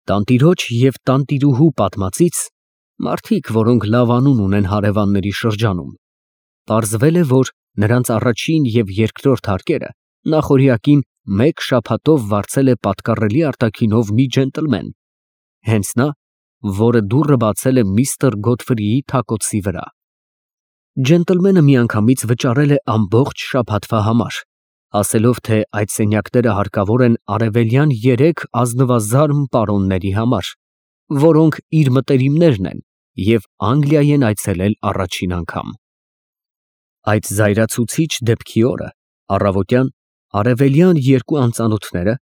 Տանտիրոջ և տանտիրուհու պատմածից մարդիկ, որոնք լավ անուն ունեն հարևանների շրջանում, պարզվել է, որ նրանց առաջին և երկրորդ հարկերը նախօրյակին մեկ շաբաթով վարձել է պատկառելի արտաքինով մի ջենտլմեն, հենց նա, որը դուռը բացել է միստր Գոթֆրիի թակոցի վրա։ Ջենտլմենը միանգամից վճարել է ամբողջ շաբաթվա համար, ասելով, թե այդ սենյակները հարկավոր են արևելյան 3 ազնվազարմ պարոնների համար, որոնք իր մտերիմներն են և Անգլիա են այցելել առաջին անգամ։ Այդ զայրացուցիչ դեպքի օրը առավոտյան արևելյան 2 անծանոթները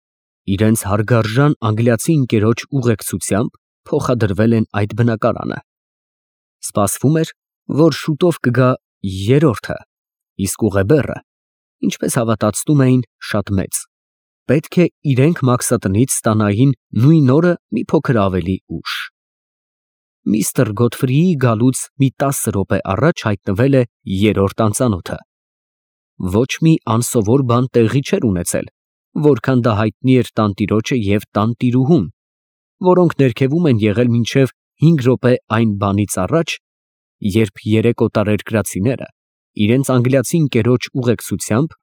իրենց հարգարժան անգլիացի ընկերոջ ուղեկցությամբ փոխադրվել են այդ բնակարանը։ Սպասվում էր, որ շուտով կգա երրորդը, իսկ ուղեբեռը, ինչպես հավատացնում էին, շատ մեծ, պետք է իրենք մաքսատնից ստանային նույն օրը մի փոքր ավելի ուշ։ Միստր Գոթֆրիի գալուց մի 10 րոպե առաջ հայտնվել է երրորդ անծանոթը։ Ոչ մի անսովոր բան տեղի չէր ունեցել, որքան դա հայտնի էր տանտիրոջը և տանտիրուհուն, որոնք ներքևում են եղել մինչև 5 րոպե այն բանից առաջ, երբ 3 օտարերկրացիները իրենց անգլիացի ընկերոջ ուղեկցությամբ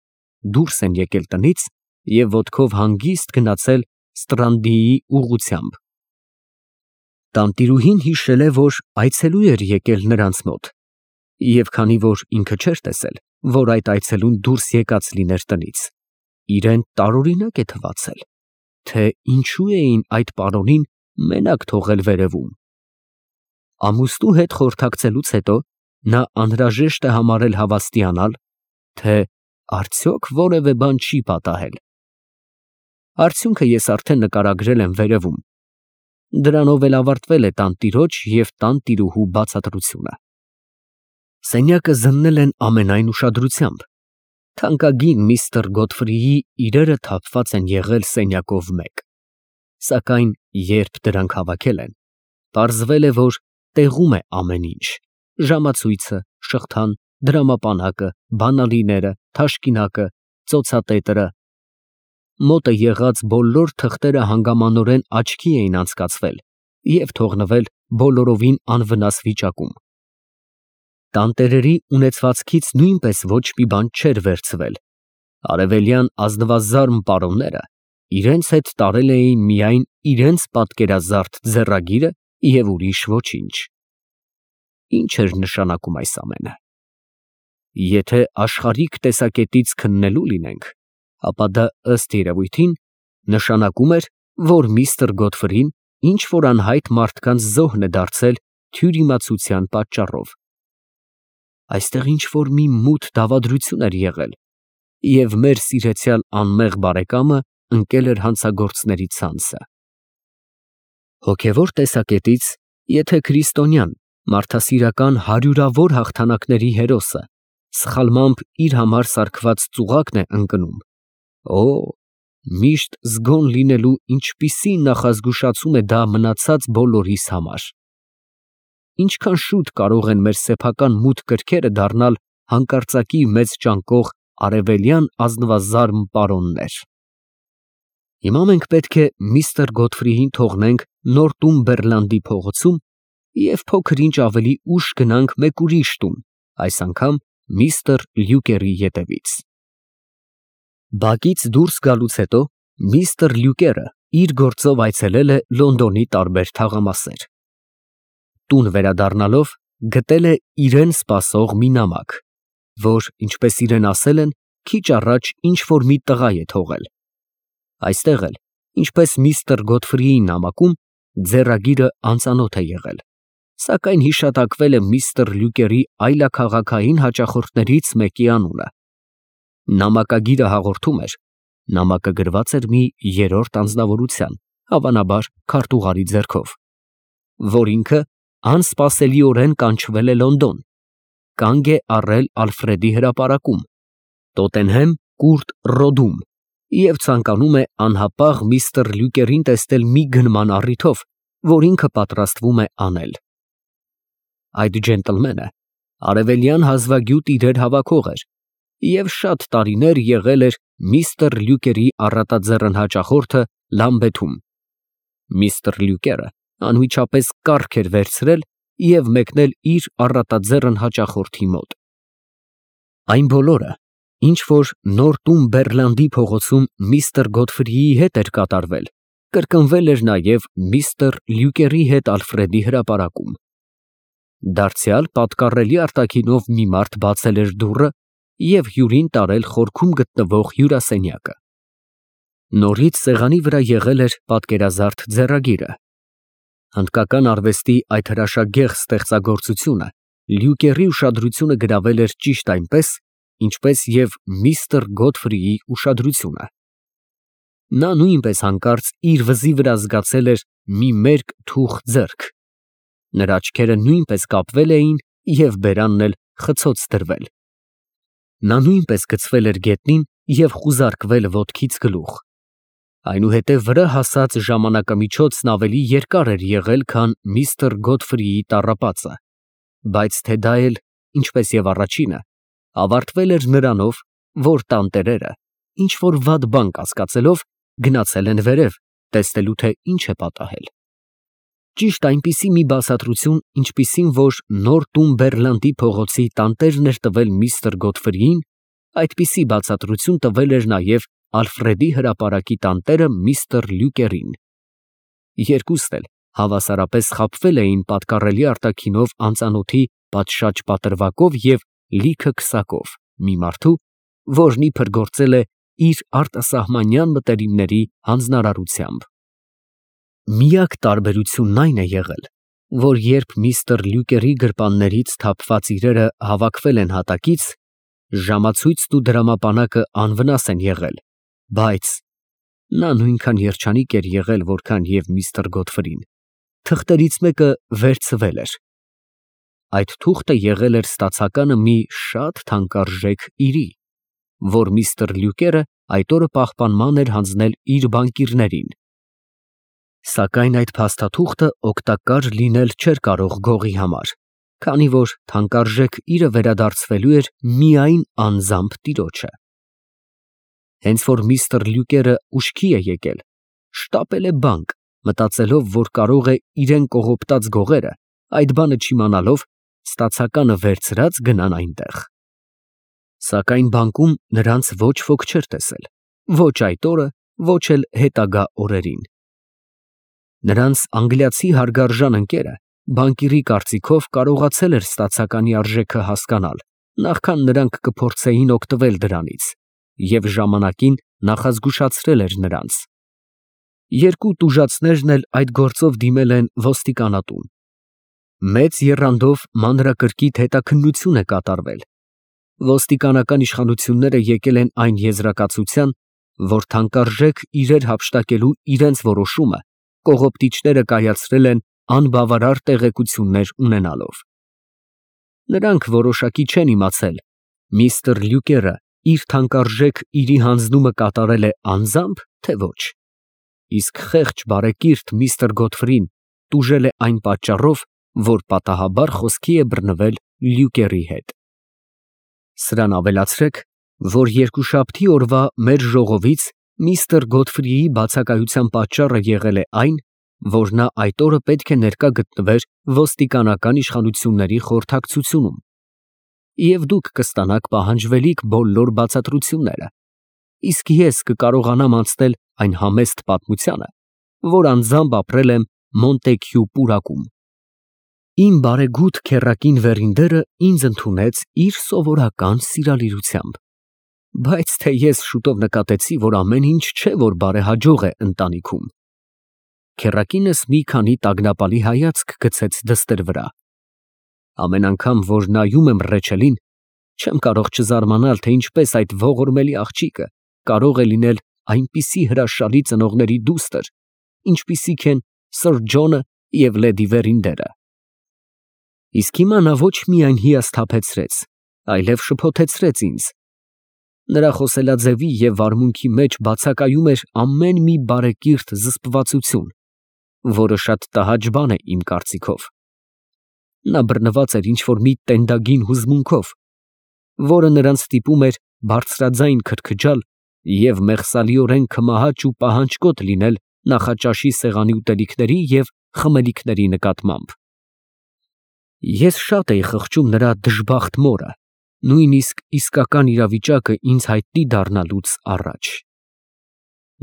դուրս են եկել տնից և ոտքով հանգիստ գնացել Ստրանդիի ուղղությամբ։ Տանտիրուհին հիշել է, որ այցելու էր եկել նրանց մոտ, և քանի որ ինքը չէր տեսել, որ այդ այցելուն դուրս եկած լիներ տնից, իրեն տարօրինակ է թվացել, թե ինչու էին այդ պարոնին մենակ թողել վերևում։ Ամուսնու հետ խորհրդակցելուց հետո նա անհրաժեշտ է համարել հավաստիանալ, թե արդյոք որևէ բան չի պատահել։ Արդյունքը ես արդեն նկարագրել եմ վերևում, դրանով էլ ավարտվել է տանտիրոջ և տանտիրուհու բացատրությունը։ Սենյակը զննել են ամենայն ուշադրությամբ, թանկագին միստր Գոթֆրիի իրերը թափված են եղել սենյակով մեկ, սակայն երբ դրանք հավաքել են, պարզվել է, որ տեղում է ամեն ինչ, ժամացույցը, շղթան, դրամապանակը, բանալիները, թաշկինակը, ծոցատետրը, մոտը եղած բոլոր թղթերը հանգամանորեն աչքի էին անցկացվել և թողնվել բոլորովին անվնաս վիճակում։ Տանտերերի ունեցվածքից նույնպես ոչ մի բան չէր վերցվել, արևելյան ազնվազարմ պարոնները իրենց հետ տարել էին միայն իրենց պատկերազարդ ձեռագիրը և ուրիշ ոչինչ։ Ինչ էր նշանակում այս ամենը։ Եթե աշխարհիկ տեսակետից քննելու լինենք, ապա դա ըստ երևույթին նշանակում էր, որ միստր Գոթֆրին ինչ֊որ անհայտ մարդկանց զոհն է դարձել թյուրիմացության պատճառով։ Այստեղ ինչ֊որ մի մութ դավադրություն էր եղել, և մեր սիրեցյալ անմեղ բարեկամը ընկել էր հանցագործների ցանցը։ Հոգևոր տեսակետից, եթե քրիստոնյան, մարդասիրական հարյուրավոր հաղթանակների հերոսը սխալմամբ իր համար սարքված ծուղակն է ընկնում, օ, միշտ զգոն լինելու ինչպիսի նախազգուշացում է դա մնացած բոլորիս համար։ Ինչքան շուտ կարող են մեր սեփական մութ կրքերը դառնալ հանկարծակի մեծ ճանկող արևելյան ազնվազարմ պարոններ։ Հիմա մենք պետք է միստր Գոթֆրիին թողնենք Նորտումբերլանդի փողոցում և փոքր-ինչ ավելի ուշ գնանք մեկ ուրիշ տուն, այս անգամ միստր Լյուկերի ետևից։ Բակից դուրս գալուց հետո միստր Լյուկերը իր գործով այցելել է Լոնդոնի տարբեր թաղամասեր։ Տուն վերադառնալով գտել է իրեն սպասող մի նամակ, որ, ինչպես իրեն ասել են, քիչ առաջ ինչ֊որ մի տղա է թողել։ Այստեղ էլ, ինչպես միստր Գոթֆրիի նամակում, ձեռագիրը անծանոթ է եղել, սակայն հիշատակվել է միստր Լյուկերի այլաքաղաքային հաճախորդներից մեկի անունը։ Նամակագիրը հաղորդում էր. նամակը գրված էր մի երրորդ անձնավորության, հավանաբար քարտուղարի ձեռքով, որ ինքը անսպասելիորեն կանչվել է Լոնդոն, կանգ է առել Ալֆրեդի հրապարակում, Տոտենհեմ Կուրտ Ռոդում և ցանկանում է անհապաղ միստր Լյուկերին տեսնել մի գնման առիթով, որ ինքը պատրաստվում է անել։ Այդ ջենտլմենը արևելյան հազվագյուտ իրեր հավաքող էր և շատ տարիներ եղել էր միստր Լյուկերի առատաձեռն հաճախորդը Լամբեթում։ Միստր Լյուկերը անմիջապես կառք էր վերցրել և մեկնել իր առատաձեռն հաճախորդի մոտ։ Այն բոլորը, ինչ որ նոր տուն Բեռլանդի փողոցում միստր Գոթֆրիի հետ էր կատարվել, կրկնվել էր նաև միստր Լյուկերի հետ Ալֆրեդի հրապարակում։ Դարձյալ պատկառելի արտաքինով մի մարդ բացել էր դուռը և հյուրին տարել խորքում գտնվող հյուրասենյակը։ Նորից սեղանի վրա եղել էր պատկերազարդ ձեռագիրը։ Հնդկական արվեստի այդ հրաշագեղ ստեղծագործությունը Լյուկերի ուշադրությունը գրավել էր ճիշտ այնպես, ինչպես և միստր Գոթֆրիի ուշադրությունը։ Նա նույնպես հանկարծ իր վզի վրա զգացել էր մի մերկ թուխ ձեռք։ Նրա աչքերը նույնպես կապվել էին և բերանն էլ խցոց դրվել։ Նա նույնպես գցվել էր գետնին և խուզարկվել ոտքից գլուխ։ Այնուհետև վրա հասած ժամանակամիջոցն ավելի երկար էր եղել, քան միստր Գոթֆրիի տառապածը, բայց թե դա էլ, ինչպես և առաջինը, ավարտվել էր նրանով, որ տանտերերը, ինչ֊որ վատ բան կասկածելով, գնացել են վերև, տեսնելու, թե ինչ է պատահել։ Ճիշտ այնպիսի մի բացատրություն, ինչպիսին որ նոր տուն Բեռլանդի փողոցի տանտերն էր տվել միստր Գոթֆրիին, այդպիսի բացատրություն տվել էր նաև Ալֆրեդի հրապարակի տանտերը միստր Լյուկերին։ Երկուստ էլ հավասարապես խաբվել էին պատկառելի արտաքինով անծանոթի պատշաճ պատրվակով և լիքը քսակով մի մարդու, որն իբր գործել է իր արտասահմանյան մտերիմների հանձնարարությամբ։ Միակ տարբերությունն այն է եղել, որ երբ միստր Լյուկերի գրպաններից թափված իրերը հավաքվել են հատակից, ժամացույցն ու դրամապանակը անվնաս են եղել, բայց նա նույնքան երջանիկ էր եղել, որքան և միստր Գոթֆրին, թղթերից մեկը վերցվել էր։ Այդ թուղթը եղել էր ստացականը մի շատ թանկարժեք իրի, որ միստր Լյուկերը այդ օրը պահպանման էր հանձնել իր բանկիրներին։ Սակայն այդ փաստաթուղթը օգտակար լինել չէր կարող գողի համար, քանի որ թանկարժեք իրը վերադարձվելու էր միայն անձամբ տիրոջը։ Հենց որ միստր Լյուկերը ուշքի է եկել, շտապել է բանկ, մտածելով, որ կարող է իրեն կողոպտած գողերը, այդ բանը չիմանալով, ստացականը վերցրած գնան այնտեղ։ Սակայն բանկում նրանց ոչ ոք չէր տեսել, ոչ այդ օրը, ոչ էլ հետագա օրերին։ Նրանց անգլիացի հարգարժան ընկերը բանկիրի կարծիքով կարողացել էր ստացականի արժեքը հասկանալ, նախքան նրանք կփորձեին օգտվել դրանից, և ժամանակին նախազգուշացրել էր նրանց։ Երկու տուժածներն էլ այդ գործով դիմել են ոստիկանատուն։ Մեծ եռանդով մանրակրկիտ հետաքննություն է կատարվել։ Ոստիկանական իշխանությունները եկել են այն եզրակացության, որ թանկարժեք իրեր հափշտակելու իրենց որոշումը կողոպտիչները կայացրել են անբավարար տեղեկություններ ունենալով։ Նրանք որոշակի չեն իմացել միստր Լյուկերը իր թանկարժեք իրի հանձնումը կատարել է անձամբ, թե ոչ, իսկ խեղճ բարեկիրթ միստր Գոթֆրին տուժել է այն պատճառով, որ պատահաբար խոսքի է բռնվել Լյուկերի հետ։ Սրան ավելացրեք, որ երկուշաբթի օրվա մեր ժողովից միստր Գոթֆրիի բացակայության պատճառը եղել է այն, որ նա այդ օրը պետք է ներկա գտնվեր ոստիկանական իշխանությունների խորհրդակցությունում, և դուք կստանաք պահանջվելիք բոլոր բացատրությունները, իսկ ես կկարողանամ անցնել այն համեստ պատմությանը, որ անձամբ ապրել եմ Մոնտեքյու պուրակում։ Իմ բարեգութ քեռակին վերինդերը ինձ ընդունեց իր սովորական սիրալիրությամբ, բայց թե ես շուտով նկատեցի, որ ամեն ինչ չէ, որ բարեհաջող է ընտանիքում։ Քեռակինս մի քանի տագնապալի հայացք գցեց դստեր վրա։ Ամեն անգամ, որ նայում եմ Ռեչելին, չեմ կարող չզարմանալ, թե ինչպես այդ ողորմելի աղջիկը կարող է լինել այնպիսի հրաշալի ծնողների դուստր, ինչպիսիք են սըր Ջոնը և լեդի Վերինդերը։ Իսկ հիմա նա ոչ միայն հիասթափեցրեց, այլև շփոթեցրեց ինձ։ Նրա խոսելաձևի և վարմունքի մեջ բացակայում էր ամեն մի բարեկիրթ զսպվածություն, որը շատ տհաճ բան է իմ կարծիքով։ Նա բռնված էր ինչ֊որ մի տենդագին հուզմունքով, որը նրան ստիպում էր բարձրաձայն քրքջալ և մեղսալիորեն քմահաճ ու պահանջկոտ լինել նախաճաշի սեղանի ուտելիքների և խմելիքների նկատմամբ։ Ես շատ էի խղճում նրա դժբախտ մորը, նույնիսկ իսկական իրավիճակը ինձ հայտնի դառնալուց առաջ։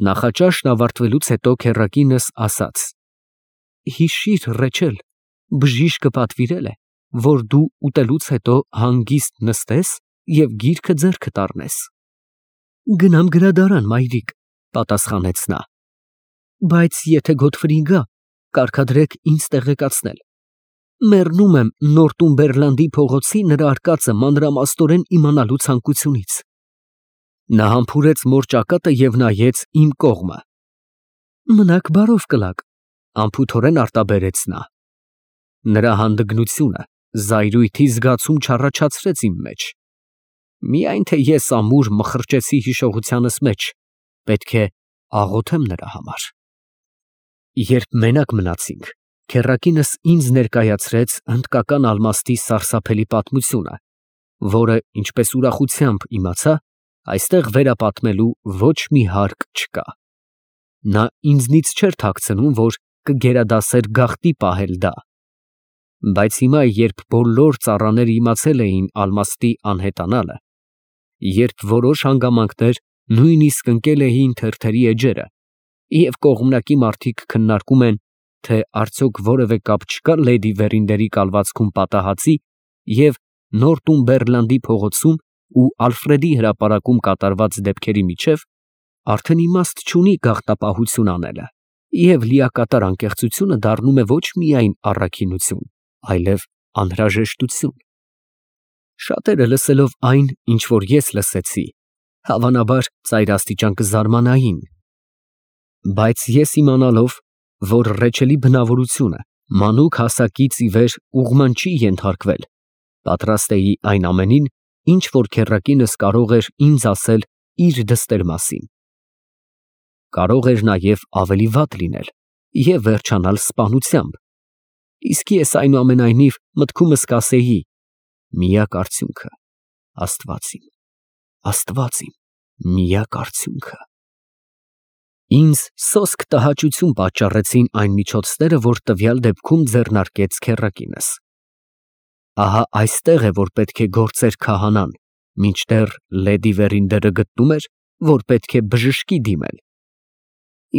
Նախաճաշն ավարտվելուց հետո քեռակինս ասաց. «Հիշիր, Ռեչել, բժիշկը պատվիրել է, որ դու ուտելուց հետո հանգիստ նստես և գիրքը ձեռքդ առնես»։ «Գնամ գրադարան, մայրիկ», պատասխանեց նա։ «Բայց եթե Գոթֆրին գա, կարգադրեք ինձ տեղեկացնել։ Մեռնում եմ Նորտումբերլանդի փողոցի նրա արկածը մանրամասնորեն իմանալու ցանկությունից»։ Նա համբուրեց մոր ճակատը և նայեց իմ կողմը։ «Մնաք բարով, կլակ», անփութորեն արտաբերեց նա։ Նրա հանդգնությունը զայրույթի զգացում չառաջացրեց իմ մեջ։ Միայն թե ես ամուր մխրճեցի հիշողությանս մեջ, պետք է աղոթեմ նրա համար։ Երբ մենակ մնացինք, քեռակինս ինձ ներկայացրեց հնդկական ալմաստի սարսափելի պատմությունը, որը, ինչպես ուրախությամբ իմացա, այստեղ վերապատմելու ոչ մի հարկ չկա։ Նա ինձնից չէր թաքցնում, որ կգերադասեր գաղտնի պահել դա։ Բայց հիմա, երբ բոլոր ծառաները իմացել էին ալմաստի անհետանալը, երբ որոշ հանգամանքներ նույնիսկ ընկել էին թերթերի էջերը, և կողմնակի մարդիկ քննարկում են, թե արդյոք որևէ կապ չկա լեդի Վերինդերի կալվածքում պատահածի և Նորտումբերլանդի փողոցում ու Ալֆրեդի հրապարակում կատարված դեպքերի միջև, արդեն իմաստ չունի գաղտնապահություն անելը, և լիակատար անկեղծությունը դառնում է ոչ միայն առաքինություն, այլև անհրաժեշտություն։ Շատերը լսելով այն, ինչ որ ես լսեցի, հավանաբար ծայրաստիճան կզարմանային։ Բայց ես իմանալով, որ Ռեչելի բնավորությունը մանուկ հասակից ի վեր ուղղման չի ենթարկվել, պատրաստ էի այն ամենին, ինչ որ քեռակինս կարող էր ինձ ասել իր դստեր մասին։ Կարող էր նաև ավելի վատ լինել և վերջանալ սպանությամբ, իսկ ես այնուամենայնիվ մտքումս կասեի. միակ արդյունքը Աստված իմ, Աստված իմ, միակ արդյունքը։ Ինձ սոսկ տհաճություն պատճառեցին այն միջոցները, որ տվյալ դեպքում ձեռնարկեց քեռակինս։ Ահա այստեղ է, որ պետք է գործեր քահանան, մինչդեռ լեդի Վերինդերը գտնում էր, որ պետք է բժշկի դիմել։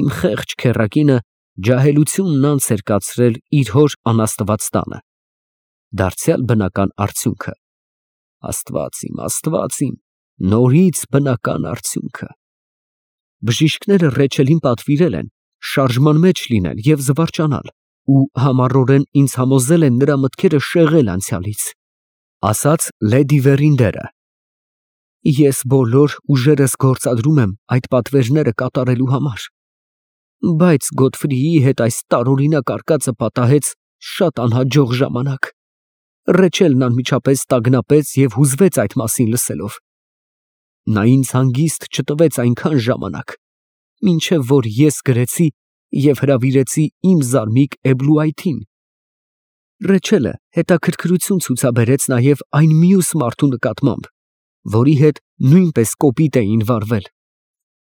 Իմ խեղճ քեռակինը ջահելությունն անց էր կացրել իր հոր անաստված տանը։ Դարձյալ բնական արդյունքը։ Աստված իմ, նորից բնական արդյունքը։ Բժիշկները Ռեչելին պատվիրել են շարժման մեջ լինել և զվարճանալ ու համառորեն ինձ համոզել են նրա մտքերը շեղել անցյալից, ասաց լեդի Վերինդերը։ Ես բոլոր ուժերս գործադրում եմ այդ պատվերները կատարելու համար, բայց Գոթֆրիի հետ այս տարօրինակ արկածը պատահեց շատ անհաջող ժամանակ։ Ռեչելն անմիջապես տագնապեց և հուզվեց այդ մասին լսելով։ Նա ինձ հանգիստ չտվեց այնքան ժամանակ, մինչև որ ես գրեցի և հրավիրեցի իմ զարմիկ Էբլուայթին։ Ռեչելը հետաքրքրություն ցուցաբերեց նաև այն մյուս մարդու նկատմամբ, որի հետ նույնպես կոպիտ էին վարվել։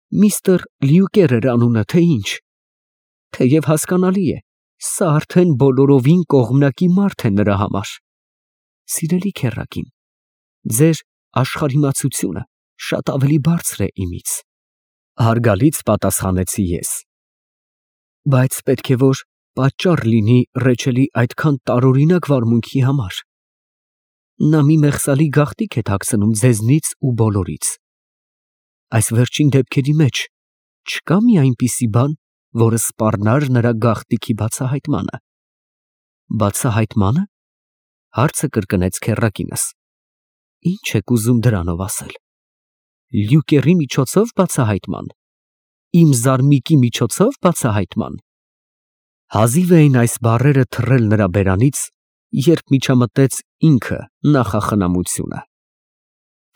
Միստր Լյուկեր էր անունը, թե ինչ։ Թեև հասկանալի է, սա արդեն բոլորովին կողմնակի մարդ է նրա համար։ Սիրելի քեռակին, ձեր աշխարհիմացությունը շատ ավելի բարձր է իմից, հարգալից պատասխանեցի ես։ Բայց պետք է որ պատճառ լինի Ռեչելի այդքան տարօրինակ վարմունքի համար։ Նա մի մեղսալի գաղտնիք է թաքցնում ձեզնից ու բոլորից։ Այս վերջին դեպքերի մեջ չկա մի այնպիսի բան, որը սպառնար նրա գաղտնիքի բացահայտմանը։ Բացահայտմանը, հարցը կրկնեց քեռակինս։ Ինչ եք ուզում դրանով ասել։ Լյուկերի միջոցով բացահայտման։ Իմ զարմիկի միջոցով բացահայտման։ Հազիվ էին այս բառերը թռել նրա բերանից, երբ միջամտեց ինքը նախախնամությունը։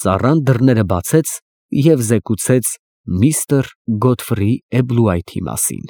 Ծառան դռները բացեց և զեկուցեց միստր Գոթֆրի Էբլուայթի մասին։